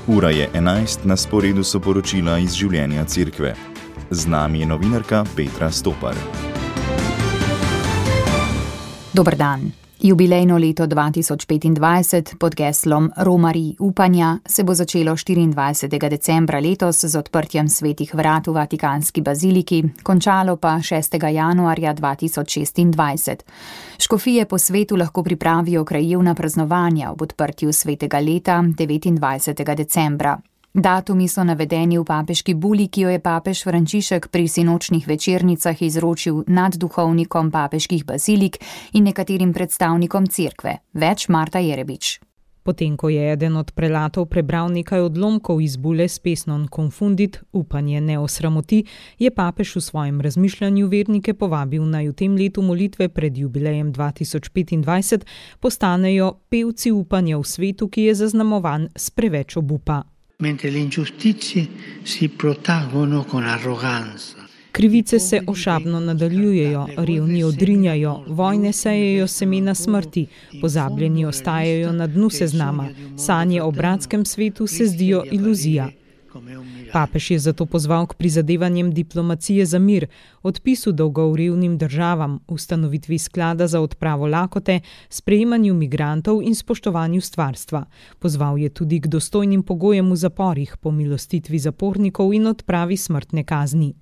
Ura je 11, na sporedu so poročila iz življenja cerkve. Z nami je novinarka Petra Stopar. Dober dan. Jubilejno leto 2025 pod geslom Romarij upanja se bo začelo 24. decembra letos z odprtjem svetih vrat v Vatikanski baziliki, končalo pa 6. januarja 2026. Škofije po svetu lahko pripravijo krajevna praznovanja ob odprtju svetega leta 29. decembra. Datumi so navedeni v papeški buli, ki jo je papež Frančišek pri sinočnih večernicah izročil nadduhovnikom papeških bazilik in nekaterim predstavnikom cerkve. Več Marta Jerebič. Potem, ko je eden od prelatov prebral nekaj odlomkov iz bule s pesnom Confundit, upanje ne osramoti, je papež v svojem razmišljanju vernike povabil naj v tem letu molitve pred jubilejem 2025 postanejo pevci upanja v svetu, ki je zaznamovan s preveč obupa. Mentre le ingiustizie si protraggono con arroganza. Krivice se ošabno nadaljujejo, revni odrinjajo, vojne sejejo semena smrti, pozabljeni ostajajo na dnu seznama, sanje o bratskem svetu se zdijo iluzija. Papež je zato pozval k prizadevanjem diplomacije za mir, odpisu dolgov revnim državam, ustanovitvi sklada za odpravo lakote, sprejemanju migrantov in spoštovanju stvarstva. Pozval je tudi k dostojnim pogojem v zaporih, pomilostitvi zapornikov in odpravi smrtne kazni.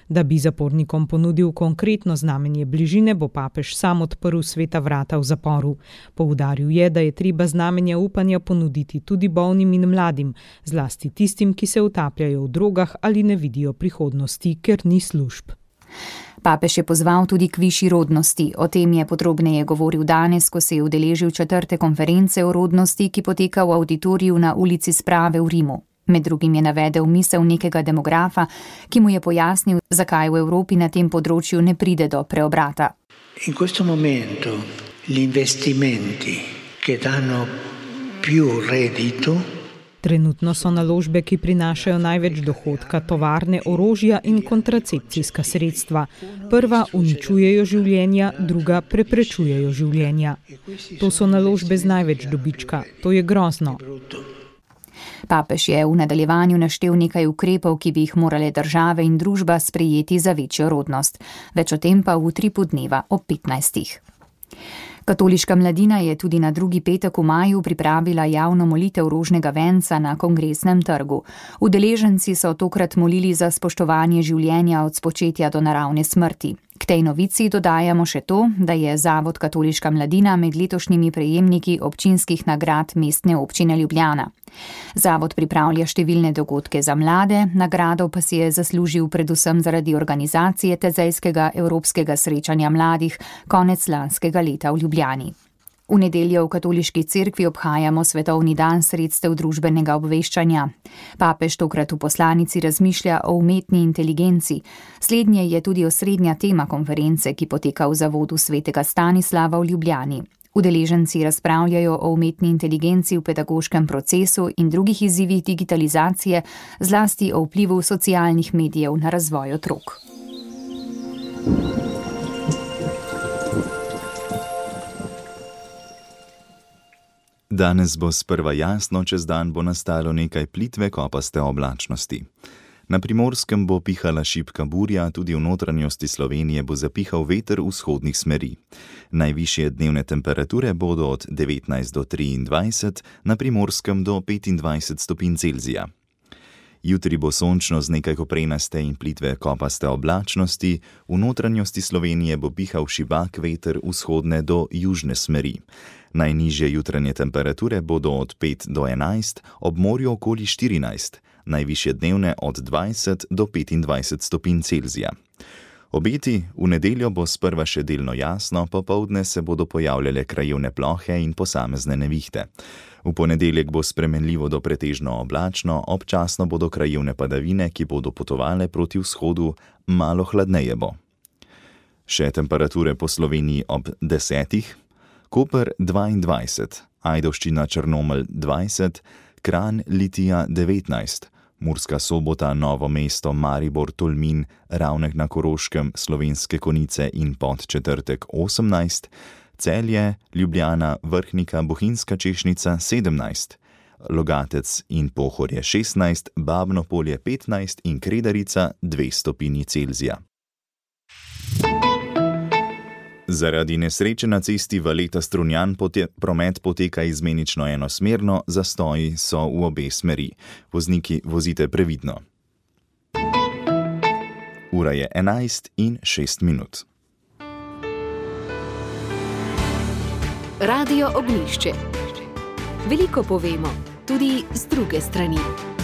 Da bi zapornikom ponudil konkretno znamenje bližine, bo papež sam odprl sveta vrata v zaporu. Poudaril je, da je treba znamenja upanja ponuditi tudi bolnim in mladim, zlasti tistim, ki se utapljajo v drogah ali ne vidijo prihodnosti, ker ni služb. Papež je pozval tudi k višji rodnosti. O tem je podrobneje govoril danes, ko se je udeležil 4. konference o rodnosti, ki poteka v avditoriju na ulici Sprave v Rimu. Med drugim je navedel misel nekega demografa, ki mu je pojasnil, zakaj v Evropi na tem področju ne pride do preobrata. In questo momento gli investimenti che danno più reddito. Trenutno so naložbe, ki prinašajo največ dohodka, tovarne, orožja in kontracepcijska sredstva. Prva uničujejo življenja, druga preprečujejo življenja. To so naložbe z največ dobička. To je grozno. Papež je v nadaljevanju naštel nekaj ukrepov, ki bi jih morale države in družba sprejeti za večjo rodnost. Več o tem pa v utripu dneva ob 15. Katoliška mladina je tudi na drugi petek v maju pripravila javno molitev rožnega venca na Kongresnem trgu. Udeleženci so tokrat molili za spoštovanje življenja od spočetja do naravne smrti. K tej novici dodajamo še to, da je Zavod Katoliška mladina med letošnjimi prejemniki občinskih nagrad Mestne občine Ljubljana. Zavod pripravlja številne dogodke za mlade, nagrado pa si je zaslužil predvsem zaradi organizacije tezejskega evropskega srečanja mladih konec lanskega leta v Ljubljani. V nedeljo v katoliški cerkvi obhajamo svetovni dan sredstev družbenega obveščanja. Papež tokrat v poslanici razmišlja o umetni inteligenci. Slednje je tudi osrednja tema konference, ki poteka v zavodu svetega Stanislava v Ljubljani. Udeleženci razpravljajo o umetni inteligenci v pedagoškem procesu in drugih izzivih digitalizacije, zlasti o vplivu socialnih medijev na razvoj otrok. Danes bo sprva jasno, čez dan bo nastalo nekaj plitve kopaste oblačnosti. Na Primorskem bo pihala šibka burja, tudi v notranjosti Slovenije bo zapihal veter vzhodnih smeri. Najvišje dnevne temperature bodo od 19 do 23, na Primorskem do 25 stopinj Celzija. Jutri bo sončno z nekaj koprenaste in plitve kopaste oblačnosti, v notranjosti Slovenije bo pihal šibak veter vzhodne do južne smeri. Najnižje jutranje temperature bodo od 5 do 11, ob morju okoli 14, najvišje dnevne od 20 do 25 stopinj Celzija. Obeti: v nedeljo bo sprva še delno jasno, popoldne se bodo pojavljale krajevne plohe in posamezne nevihte. V ponedeljek bo spremenljivo do pretežno oblačno, občasno bodo krajevne padavine, ki bodo potovale proti vzhodu, malo hladneje bo. Še temperature po Sloveniji ob 10. Koper 22, Ajdovščina Črnomelj 20, Kranj Litija 19, Murska Sobota, Novo mesto, Maribor, Tolmin, Ravnek na Koroškem, Slovenske Konjice in Podčetrtek 18, Celje, Ljubljana, Vrhnika, Bohinjska Češnica 17, Logatec in Pohorje 16, Babno Polje 15 in Kredarica 2 stopinji Celzija. Zaradi nesreče na cesti Valeta-Strunjan promet poteka izmenično enosmerno, zastoji so v obe smeri. Vozniki, vozite previdno. Ura je 11:06. Radio Ognjišče. Veliko povemo, tudi z druge strani.